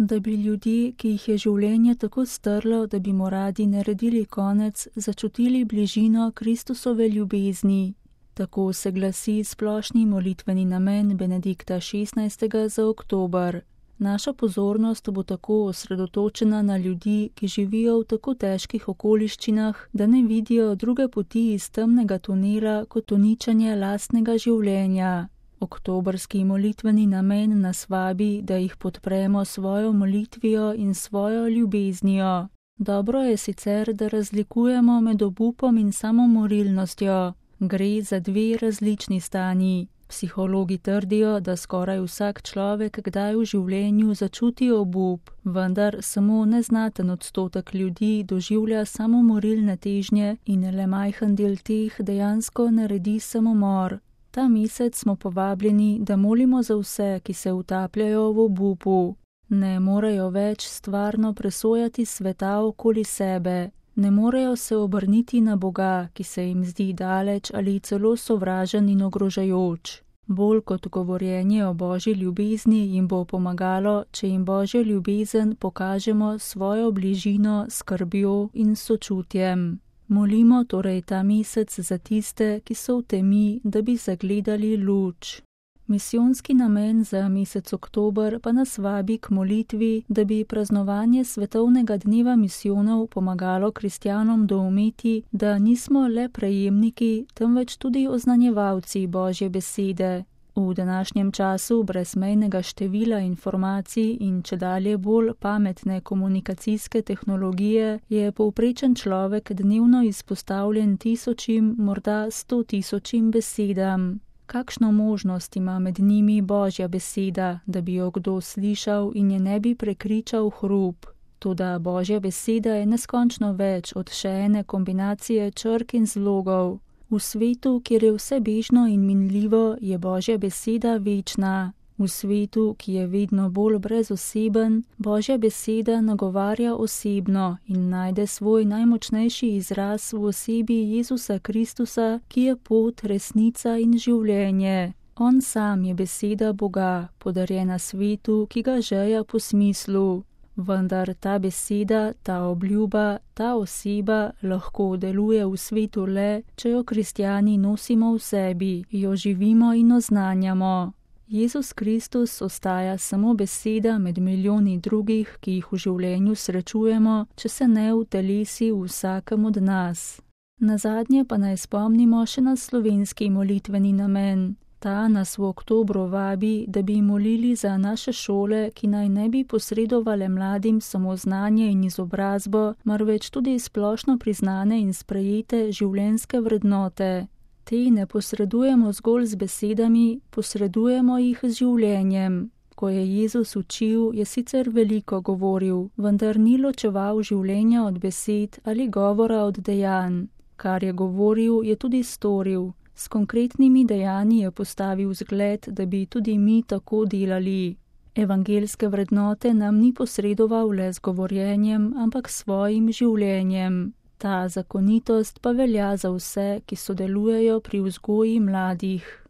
Da bi ljudje, ki jih je življenje tako strlo, da bi mu radi naredili konec, začutili bližino Kristusove ljubezni. Tako se glasi splošni molitveni namen Benedikta XVI. Za oktober. Naša pozornost bo tako osredotočena na ljudi, ki živijo v tako težkih okoliščinah, da ne vidijo druge poti iz temnega tunela kot uničenje lastnega življenja. Oktobrski molitveni namen nas vabi, da jih podpremo svojo molitvijo in svojo ljubeznijo. Dobro je sicer, da razlikujemo med obupom in samomorilnostjo. Gre za dve različni stanji. Psihologi trdijo, da skoraj vsak človek kdaj v življenju začuti obup, vendar samo neznaten odstotek ljudi doživlja samomorilne težnje in le majhen del teh dejansko naredi samomor. Ta mesec smo povabljeni, da molimo za vse, ki se utapljajo v obupu. Ne morejo več stvarno presojati sveta okoli sebe. Ne morejo se obrniti na Boga, ki se jim zdi daleč ali celo sovražen in ogrožajoč. Bolj kot govorjenje o Božji ljubezni jim bo pomagalo, če jim Božjo ljubezen pokažemo svojo bližino, skrbjo in sočutjem. Molimo torej ta mesec za tiste, ki so v temi, da bi zagledali luč. Misijonski namen za mesec oktober pa nas vabi k molitvi, da bi praznovanje svetovnega dneva misijonov pomagalo kristjanom doumeti, da nismo le prejemniki, temveč tudi oznanjevalci Božje besede. V današnjem času brezmejnega števila informacij in čedalje bolj pametne komunikacijske tehnologije je povprečen človek dnevno izpostavljen tisočim, morda 100 000 besedam. Kakšno možnost ima med njimi Božja beseda, da bi jo kdo slišal in je ne bi prekričal hrup? Toda Božja beseda je neskončno več od še ene kombinacije črk in zlogov. V svetu, kjer je vse bežno in minljivo, je Božja beseda večna. V svetu, ki je vedno bolj brezoseben, Božja beseda nagovarja osebno in najde svoj najmočnejši izraz v osebi Jezusa Kristusa, ki je pot, resnica in življenje. On sam je beseda Boga, podarjena svetu, ki ga žeja po smislu. Vendar ta beseda, ta obljuba, ta oseba lahko deluje v svetu le, če jo kristjani nosimo v sebi, jo živimo in oznanjamo. Jezus Kristus ostaja samo beseda med milijoni drugih, ki jih v življenju srečujemo, če se ne utelesi v vsakem od nas. Nazadnje pa naj spomnimo še na slovenski molitveni namen. Ta nas v oktobru vabi, da bi molili za naše šole, ki naj ne bi posredovale mladim samo znanje in izobrazbo, marveč tudi splošno priznane in sprejete življenjske vrednote. Te ne posredujemo zgolj z besedami, posredujemo jih z življenjem. Ko je Jezus učil, je sicer veliko govoril, vendar ni ločeval življenja od besed ali govora od dejanj. Kar je govoril, je tudi storil. S konkretnimi dejanji je postavil zgled, da bi tudi mi tako delali. Evangelske vrednote nam ni posredoval le z govorjenjem, ampak svojim življenjem. Ta zakonitost pa velja za vse, ki sodelujejo pri vzgoji mladih.